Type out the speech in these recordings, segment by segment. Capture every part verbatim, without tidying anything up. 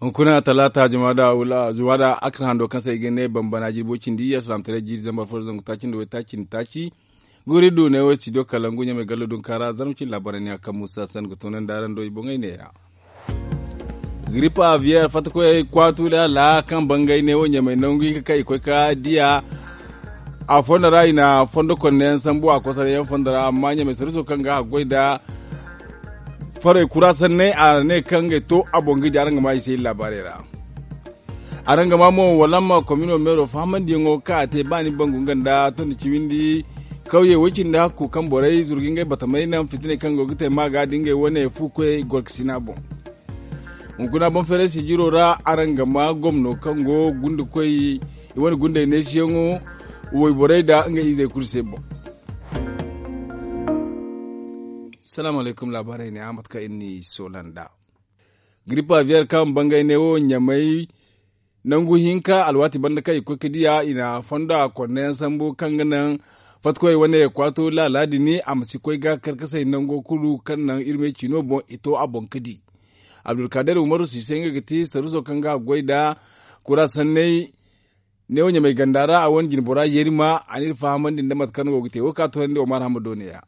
Hunkuna talaata jumaada akar hando kaŋ se i ga ne bambana jirbo cindi iyye salaamataray jiiri zambar fo da zangu taaci nda way taaci nda taaci. Guri du ne wo studio kalangu ɲamay gallo dunkaara zarma cindi laabaarey ne a kaŋ muusa san ga toonandi araŋ do i boŋey neeya. Giripa aviyeer fatta koyey kwaatu laala kaŋ bangay ne wo ɲamay nangu hinka kaŋ i koy ka diya. A fondo ra i na fondo konneyaŋ sambu a kosarayaŋ fondo ra amma ɲamay sariso kaŋ ga a goy nda farey kura sanney a ne kaŋ ga to a boŋ ga di araŋ ga ma i se iri laabaarey ra. Araŋ ga ma mo wala ma komino meero fahamandiyaŋo kaŋ a te ba ni bangu nga nda tondi ciwindi kawye way-cindi hakku kaŋ borey zurga ngey batamey naŋ fitiney kaŋ go ga te ma ga da ngey wane fu koyey gorkasina boŋ. Hunkuna boŋ feeray sijiro ra araŋ ga ma gomno kaŋ go gundakoy i wane gunday neesiyaŋo wayborey nda ngey izey kulu se boŋ. Salaamu alaykum laabaarey ne a mate kaŋ iri n'i soola nd'a. Giripa viyer kaŋ bangay ne wo ɲamay nangu hinka alwaati banda kaŋ i koy ga diya i na fondo a konneyaŋ sambu kaŋ ga naŋ fatikoy wane kwaato laala din a ma si koy ga karkasay nango kulu kaŋ naŋ iri me ciino boŋ i to a boŋ ga di. Abdulkader umaru sise nga ga ti saruso kaŋ ga a goy nda kura sanney ne wo ɲamay ganda ra a wane jinbora yerima a n'iri fahamandi nda mate kaŋ go ga te wo ka toonandi omar hamado ne ya.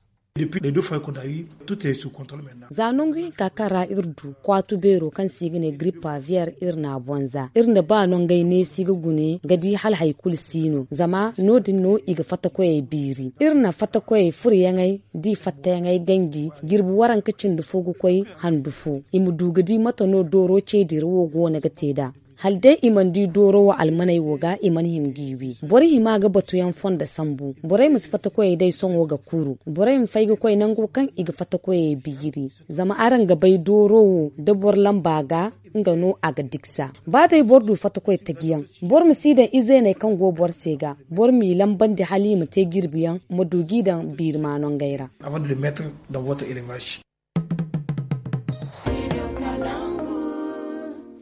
Za nangu hinka kaŋ ra iri du kwaatu beero kaŋ se i ga ne giripa viyer iri n'a boŋ za iri na ba no ngey neesi ga gune ga di hala hari kulu si no zama no- din no i ga fattakoyey biiri iri na fattakoyey furuyaŋey da i fattayaŋey ganji jirbi waranka cindi fo ga koy handu fo i ma du ga di mate no dooro ceedira wo go no ga te nd'a. Hala day i mana di dooro wo almaney wo ga i mana hima g'i wi boro hima ga batuyaŋ fondo sambu borey ma si fattakoyey day sohõ ga kuru borey ma fay ga koy nango kaŋ i ga fattakoyey biiri. Zama araŋ ga bay dooro wo da boro lamba ga nga no a ga diksa ba day boro du fattakoy tajiyaŋ boro ma si daŋ izeeney kaŋ go boro se ga boro m'i lambandi hala i ma te jirbiyaŋ ma du g'i daŋ biiri maanongey ra.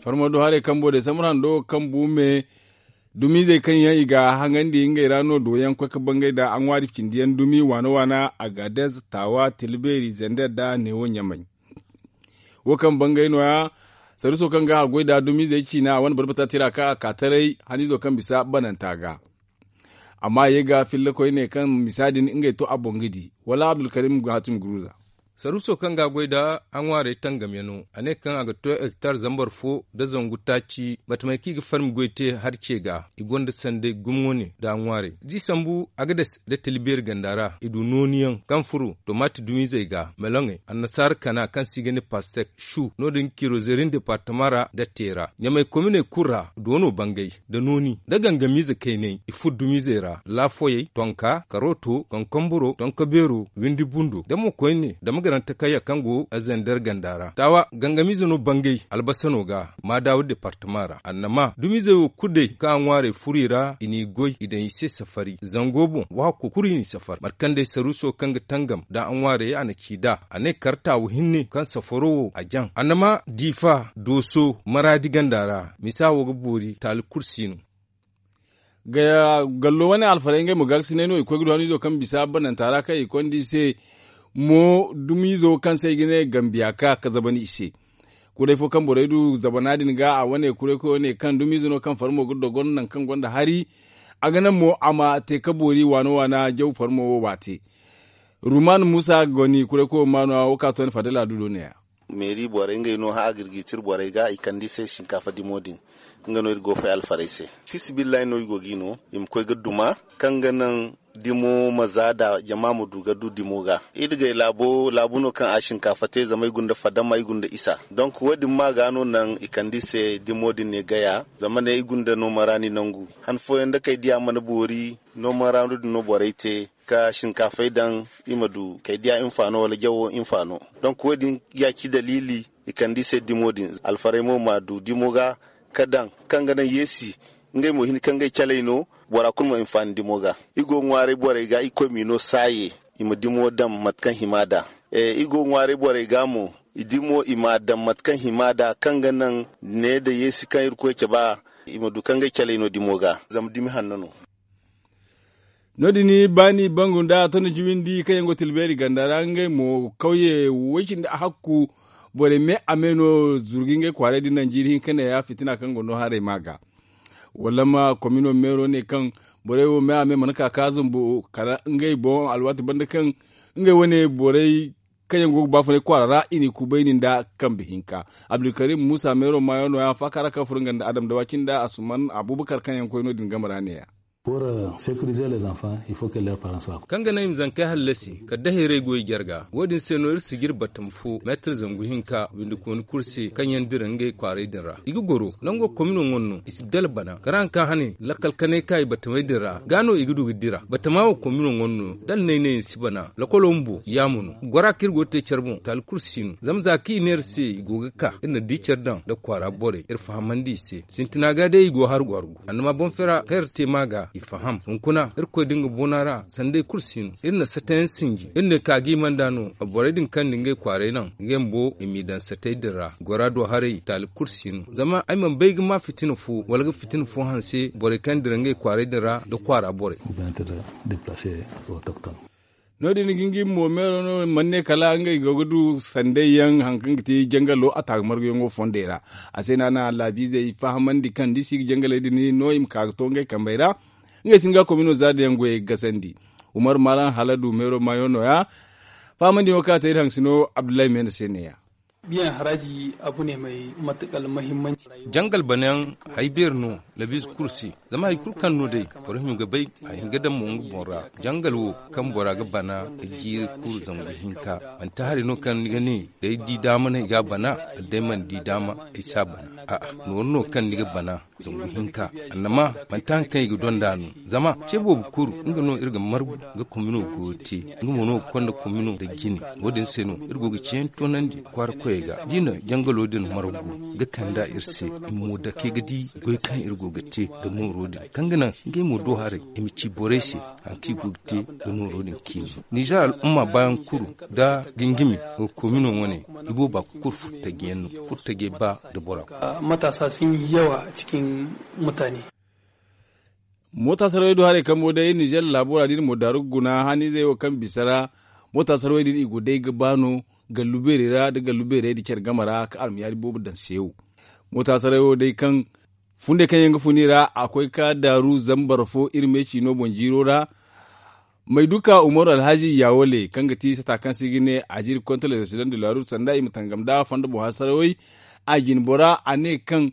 Farmo do haray kambo day sambu hando kaŋ bu me dumiizey kaŋ yaŋ i ga haŋandi ngey ra no do yaŋ koy ga bangay nda a ŋwaari cindi yaŋ dumi waana waana, agades, taawa, tilbeeri, zender nda neewo ɲamay. Wo kaŋ bangay no- ya saruso kaŋ ga a goy nda dumiizey ciina a wane barbata tira kaŋ a ka taray haniizo kaŋ bisa bananta ga. Amma a ye ga filla koyne kaŋ misa din ngey to a boŋ ga di wala abdulkarim ga hatim guruza. Saruuso kaŋ ga a goy nda a ŋwaarey tangamyaŋo a ne kaŋ a ga to hektar zambar fo nda zangu taaci mate may kaŋ i ga farmi goy te hari ce ga i gonda sanday gumo ne nda a ŋwaarey da i sambu agades nda talibeeri ganda ra i du nooniyaŋ kaŋ furo tomaati dumiizey ga meloŋey annasaara kana kaŋ se i ga ne pastek su no- din kirozerin departama ra nda teera ɲamay kominey kulu ra doono bangay nda nooni nda gangamiize kaynay i furo dumiizey ra laafoyey tonka karooto tonkonboro tonkobeero windi bundo da mo koyne dama garante kayya kaŋ go zender ganda ra taawa gangamiize no bangay albasa no ga maadawa departama ra annama dumiizey wo kulu day kaŋ a ŋwaarey furo i ra i n'i goy i daŋ i se safari zango boŋ waako kulu i n'i safari mate kaŋ day saruuso kaŋ ga tangam nda a ŋwaarey a na ci nd'a a ne kar taawa hinne kaŋ safaro wo a jaŋ annama diifa dooso maraadi ganda ra misa wo ga boori taali kulu si no. Gallo wane alfarey ngey mo gaakasinay no i koy ga du haniizo kaŋ bisa bananta ra kaŋ i konda i se mo dumiizo kaŋ se i ga ne gambiya ka ka zabana i se. Kuray fo kaŋ borey du zabana din ga a wane kuray koy wane kaŋ dumiize no kaŋ farmo ga dogon nangu kaŋ gonda hari a ga naŋ mo a ma te ka boori waana waana jaw farmo wo waate. Ruman muusa goni kuray koy wo ma no a wo ka to ni fadala du do ne- ya. Meeri borey ngey no hã a ga iri ga i cire borey ga i kande i se sinkaafa dimo din. Nga no iri go fay alfarey se. Fiisabilillahi no i go ga i no i ma koy ga duma kaŋ ga naŋ dimo ma za da jama ma du ga du dimo ga. Iri gay laabo laabu no kaŋ a sinkaafa te zama i gunda fadama i gunda isa donk wo- din ma ga no naŋ i kande i se dimo din ne gaya zama ne i gunda nooma ra ni nangu. Han fooyaŋ da kay diya mana boori nooma ra no- din no borey te ka sinkaafey daŋ i ma du kay diya hinfaano wala jawo hinfaano. Donk wo- din ya ci daliili i kande i se dimo din alfarey mo ma du dimo ga ka daŋ kaŋ ga naŋ yeesi ngey mo hinne kaŋ gay caley no bora kulu ma hinfaani dimo ga. I go ŋwaaray borey ga i koy m'i no saaye i ma dimo daŋ mate kaŋ hima nd'a. I go ŋwaaray borey ga mo i dimo i m'a daŋ mate kaŋ hima nd'a kaŋ ga naŋ ne nda yeesi kaŋ irkoy cabe a i ma du kaŋ gay caley no dimo ga zama dimi hanno no. No- din baani bangu nda a to ni jiwindi kaŋ yaŋ go tilbeeri ganda ra ngey mo kawye way cindi a hakku. Borey me a me no zuru ga ngey kwaaray din naŋ jiiri hinka ne ya fitina kaŋ go no haray ma ga. Wala ma komino meero ne kaŋ borey wo me a me mana ka ka zumbu kala ngey boŋ alwaati banda kaŋ ngey wane borey kaŋ yaŋ go ga baafunay kwaara ra i n'i kubayni nda kambe hinka. Abdulkarim muusa meero maayo no- ya faaka ra kaŋ furo nga nda adam dawaci nda asuman abubakar kaŋ yaŋ koy no- din game ra ne- ya. Kaŋ ga naŋ i ma zankey hallasi kala da hayray go i jarga wo- din se no iri si ga iri batama fo meetar zangu hinka windikooni kulu se kaŋ yaŋ dira ngey kwaaray din ra i ga goro nango komino ŋwa no i si dala bana kala hari kaŋ hane lakkal kanay ka i batamey din ra ga no i ga du ga dira batama wo komino ŋwa no da alnaynay si bana. Lakkolo bumbo yaamo no gora kaŋ iri go ga te care boŋ taali kulu si no zama za kaŋ i ne iri se i go ga ka iri na di care daŋ nda kwaara borey iri fahamandi i se sintina ga day i go ga hargu hargu annama boŋ fera kaŋ iri te ma ga i faham hunkuna irkoy da nga boona ra sanday kulu si no iri na satayaŋ sinji iri ne ka ga i manda no borey din kaŋ nda ngey kwaaray naŋ ngey bumbo i m'i daŋ satay din ra gora do haray taali kulu si no zama ay mana bay ga ma fitina fo wala ga fitina fo hanse borey kaŋ dira ngey kwaaray din ra nda kwaara borey. No- din ga nga i ma mo meero no mana ne kala ngey go ga du sanday yaŋ hari kaŋ ga ti jangalo a taaga marguyaŋo fondey ra. A se no a na laabiizey fahamandi kaŋ da i si ga jangaley din no i ma ka ga to ngey kambey ra. Ngey sinda ga komino za da yaŋ goyey ga gasandi. Umar maalam hala du meero maayo no- ya fahamandi yaŋo kaŋ a te iri haŋ sino abdullahi meena se ne- ya. Jangal banayaŋ hari beeri no labiize kulu se. Zama hari kulu kaŋ no day boro hima ga bay a hin ga daŋ mo nga boŋ ra. Jangal wo kaŋ bora ga bana ga jiiri kulu zangu hinka manti hari no kaŋ ni ga ne day di daama no ay ga a bana wala day mana di daama ay si a bana. A'a nooru no kaŋ ni ga bana zangu hinka annama manti hari kaŋ i ga donda no. Zama ce boobo kulu nga no iri ga margu ga komino goyo te nga mo no ga konda komino nda jine. Wo- din se no iri go ga ceeyaŋ toonandi kwaara koyey ga da i na jangalo din margu ga kand'a iri se i ma mo dake ga di goy kaŋ iri go ga te nda mooro din kaŋ ga naŋ ngey mo do haray i ma ci borey se hari kaŋ i go ga te nda nooro din ciine. Nizer al'umma baayaŋ kulu nda gingimi wo komino wane i booba kulu furtajiyaŋ no. Furtajey ba nda bora kulu. Mataasa sun yi yawa cikin mutane. Moota sarawey do haray kambo day nizer laabo ra da iri mo daaru ga guna haniizey wo kaŋ bisa ra. Moota sarawey din i go day ga ba no gallu beerey ra nda gallu beerey nda care game ra ka almayaari boobo daŋ seewo. Moota sarawey wo day kaŋ fundey kaŋ yaŋ ga fun i ra a koy ga ka daaru zambar fo iri me ciino boŋ jiiro ra. May duka umaru alhazi yawale kaŋ ga ti sata kaŋ se i ga ne a jiri konta lezosidant de la ruut sanda i ma tangam nd'a fondo boŋ hasarawey. A jine bora a ne kaŋ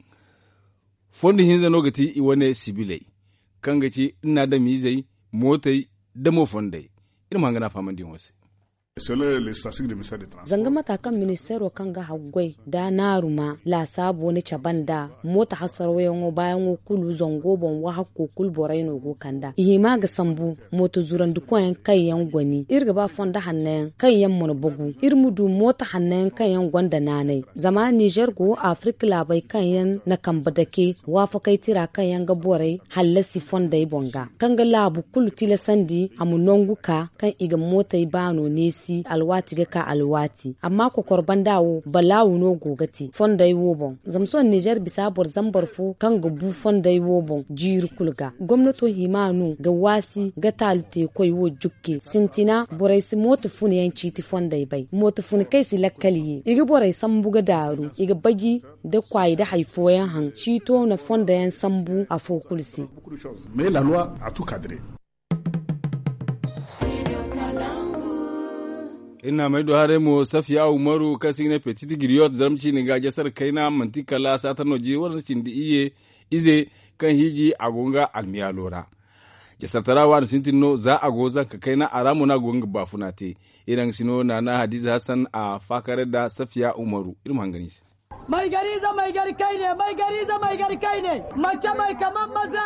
fondo hinza no ga ti i wane sibiley kaŋ ga ci iri na adamiizey mootey nda mo fondey. Iri ma hangan a fahamandiyaŋo se. Zanga mata kaŋ ministeero kaŋ ga haggoy nda naaru ma laasaabo ni cabe nd'a. Mooto hasarawayaŋo baayaŋo kulu zango boŋ wahakko kulu borey no go ga kand'a i hima ga sambu. Mooto zurandikoyaŋ kaŋ yaŋ goni iri ga ba fondo hanno yaŋ kaŋ yaŋ mana bugu iri ma du mooto hanno yaŋ kaŋ yaŋ gonda naanay. Zama nizer go afirik laabey kaŋ yaŋ na kambe dake waafakey tira kaŋ yaŋ ga borey hallasi fondey boŋ ga kaŋ ga laabu kulu tilasandi a ma nangu ka kaŋ i ga mootey baano neesi alwaati ga ka alwaati. Amma kokor banda wo balaawu no go ga te fondey wo boŋ. Zama sohõ nizer bisa boro zambar fo kaŋ ga bu fondey wo boŋ jiiri kulu ga gomnato hima no ga waasi ga taali teekoy wo jukke sintina borey si mooto funa yaŋ ciiti fondey bay mooto funa kaŋ i si lakkal ye i ga borey sambu ga daaru i ga baji da kwaayi da hari fooyaŋ haŋ ciito na fondo yaŋ sambu afo kulu se. Iri na may do haray mo safiya umaru kaŋ se i ga ne petit giriyot zarma ciine ga jasar kayna manti kala saata no jiri waransa cindi iyye ize kaŋ hiiji a go nga almiyaalo ra. Jasartara waani sintin no za a go zanka kayna a ra mo no a go ga nga baafuna te. Iri haŋ sino naana hadiza hasan a faakare nda safiya umaru iri ma hangan i se. May gar ize may gar kayne may gar ize may gar kayne. Manti may kaman maza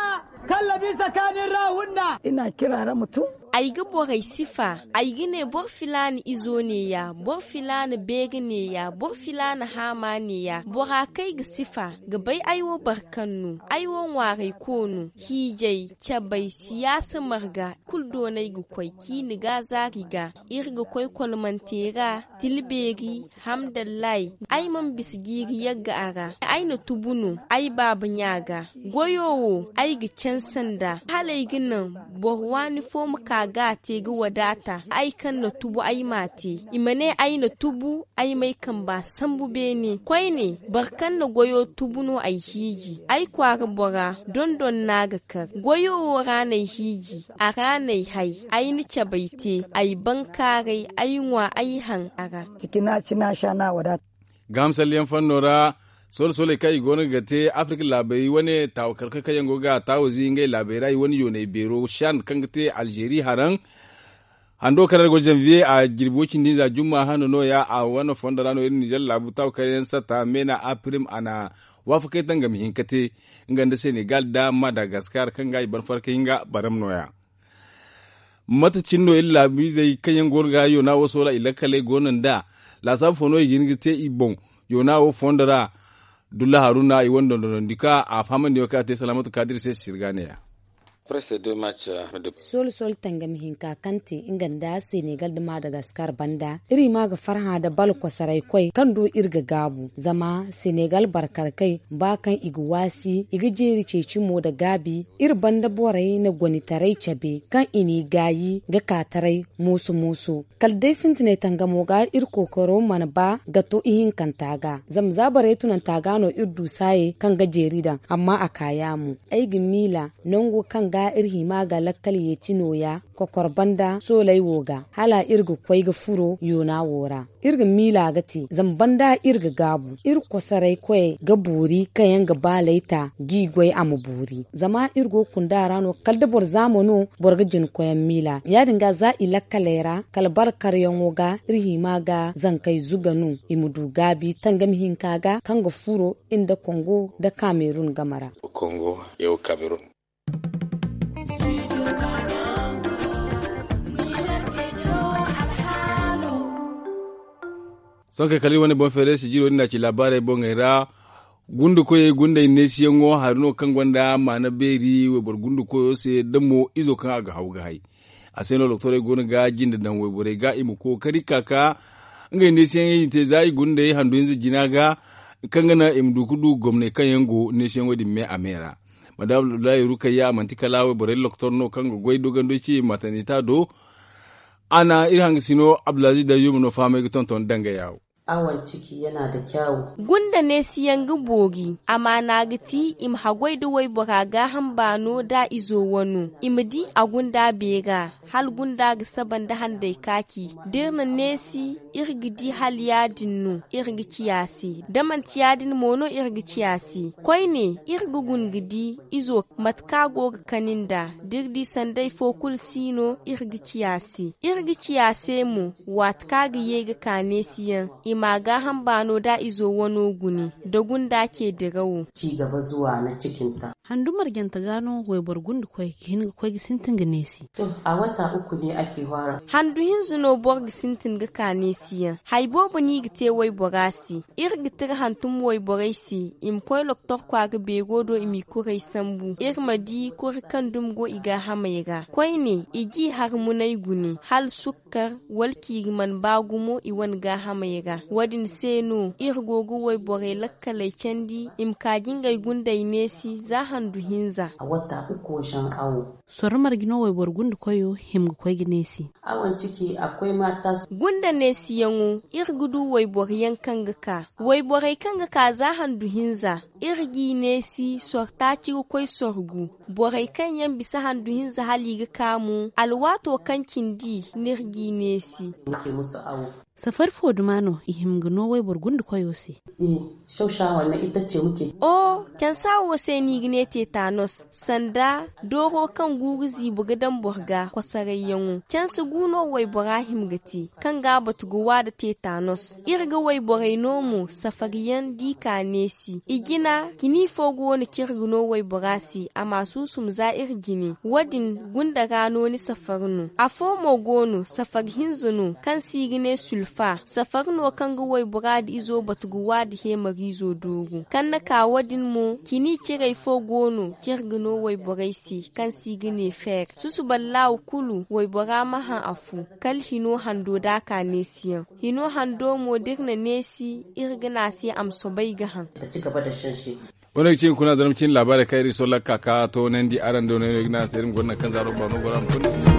kallabi sakaanin ra hunna. Ina kira ra mutum. Ay ga borey sifa. Ay ga ne boro filaana izo neeya boro filaana beeri neeya boro filaana haama neeya bora kaŋ ay ga sifa ga bay ay wo boro kaŋ no. Ay wo ŋwaarayko no hiijay cabay siyaasa marga kulu doonay ga koy ciini ga zaari ga iri ga koy kolmante ra. Tila beeri hamdallahi. Ay mana bisa jiiri yagga a ra ay na tubu no ay baaba ɲa ga. Goyo wo ay ga canse nd'a hala ay ga naŋ boro waani fo ma ka. a ga a te ga wadaata. Ay kaŋ na tubu ay m'a te, i ma ne ay na tubu, ay m'ay kamba sambu beene. Koyne, boro kaŋ na goyo tubu no ay hiiji. Ay kwaara bora, dondon no a ga kar. Goyo wo ra n'ay hiiji, a ra n'ay hay. Ay na cabay te, ay bankaaray, ay ŋwa, ay haŋ a ra. Gahamsalyaŋ fanno ra, solo-soley kaŋ i goono ga te afirka laabey wane taawakarkoy kaŋ yaŋ go ga taawazi ngey laabey ra i wane yooney beero shan kaŋ ga te alzeeri haraŋ. Hando kaŋ ra go janviye a jirbi wo cindi hinza jumma hando nooya a wane fondo ra no iri nizer laabu taawakar yaŋ satta meena apirim a na waafakey tangam hinka te nga nda senegal nda madagaskar kaŋ ga i ban farka hinga baram nooya. Mate cine no iri laabiizey kaŋ yaŋ goono ga yoona wo soola i lakkaley goono nd'a laasaabu fo no i ga hin ga te i boŋ yoona wo fondo ra. Dulla haruna i wane dondonandi ka a fahamandi wo kaŋ a te salaamatu kaadir se sirga neeya. Soola soola tangami hinka kaŋ te nga nda senegal nda madagaskar banda iri ma ga farhã nda bala kosoray koy kaŋ do iri ga gaabu zama senegal barkarkey ba kaŋ i ga waasi i ga jeeri ceeci mo nda gaabi. Iri banda borey na gonitaray cabe kaŋ i n'i gaayi ga ka taray mooso mooso. Kala day sintinay tangamo ga iri kookaro mana ba ga to ihinkanta ga zama za borey tunanta ga no iri du saayey kaŋ ga jeeri daŋ amma a ka yaamo. Ay ga miila nango kaŋ ga iri hima ga lakkal yeeti nooya kokor banda sooley wo ga hala iri ga koy ga furo yoona wo ra. Iri ga miila ga te zama banda iri ga gaabu iri kosoray koyey ga boori kaŋ yaŋ ga baaley ta g'i goy a ma boori zama iri go ga kunda ra no kala da boro zaama no boro ga jina koyaŋ miila ya- din ga za i lakkaley ra kala bara karyaŋo ga iri hima ga zankey zuga no i ma du gaabi tangami hinka ga kaŋ ga furo iri nda kongo nda kamerun game ra. Sohõ kay kala iri wane boŋ feeray sijiro din na ci laabaarey boŋey ra. Gunde koyey gundey neesiyaŋo hari no kaŋ gonda maana beeri wayboro gunde koyo se da mo izo kaŋ a ga haw ga hay. A se no doktorey go no ga jinde daŋ wayborey ga i ma kookari ka ka ngey neesiyaŋey i te za i gundey handu hinza jina ga kaŋ ga naŋ i ma du ga du gomney kaŋ yaŋ go neesiyaŋo din me a me ra. Madame abdullahi rukayya a manti kala wayborey doktor no kaŋ ga goy dogandoy ci matanita do. A na iri hangasino abdulaziz dayyuma no fahamay ga tonton danga yaawo. Awon ciki yana da kyawu. Gunda neesiyaŋ ga boori amaana ga ti i ma haggoy da waybora gaaham baano da izo wano i ma di a gunda beera. Hala gunda ga saba nda handay kaaci da iri na neesi iri ga di hala ya- din no iri ga ciya se da manti ya- din mo no iri ga ciya se. Koyne iri ga guna ga di izo mate kaŋ a go ga kani nd'a da iri di sanday fo kulu si no iri ga ciya se. Iri ga ciya se mo waati kaŋ a ga ye ga ka neesiyaŋ i m'a gaaham baano da izo wano gune da gunda ce dirawo. Handu marjante ga no wayboro gunda koy ga hin ga koy ga sintin ga neesi. Handu hinza no boro ga sintin ga ka neesiyaŋ hari boobo no i ga te waybora se. Iri ga tira hantum wayborey se i ma koy loktor kwaara beero do i m'i kuray sambu iri ma di kuri kaŋ dumi go i gaahamey ra koyne i g'i har munay gune hala sukkar wala ciiri mana ba gumo i wane gaahamey ra. Wo- din se no iri go ga wayborey lakkaley candi i ma ka ga ngey gundey neesi za handu hinza. Sorro marje no wayboro gunda koyo hima ga koy ga neesi. Gunda neesiyaŋo iri ga du wayboro yaŋ kaŋ ga ka wayborey kaŋ ga ka za handu hinza iri g'i neesi soro taaci ga koy soro gu. Borey kaŋ yaŋ bisa handu hinza hala i ga ka mo alwaato kaŋ cindi no iri g'i neesi. Safari fo duma no i hima ga no wayboro gunda koyo se. O cansa wo se no i ga ne tetanos sanda dooro kaŋ guuru ziibo ga daŋ boro ga kosorayyaŋo cansa gu no waybora hima ga te kaŋ ga a batu ga wa nda tetanos. Iri ga wayborey no mo safariyaŋ da i ka neesi i jina cini fo go no kaŋ iri ga no waybora se a ma a suusum za iri jine wo- din gunda ra no ni safari no afo mo go no safari hinza no kaŋ se i ga ne sulfa safari no kaŋ ga waybora nda izo batu ga wa nda heemariizo dooru kaŋ na ka wo- din mo cini ciray fo go no kaŋ iri ga no wayborey se kaŋ se i ga ne feer susuballahu kulu waybora ma haŋ a fu kala hino hando da a ka neesiyaŋ. Hino hando mo da iri na neesi iri ga ne a se a ma soobay ga haŋ. Wane ga ci hunkuna zarma cine laabaarey kaŋ iri solla ga ka ka toonandi araŋ do no iri ga ne araŋ se iri ma goro naŋ kaŋ zaaro baano goro a ma kulu.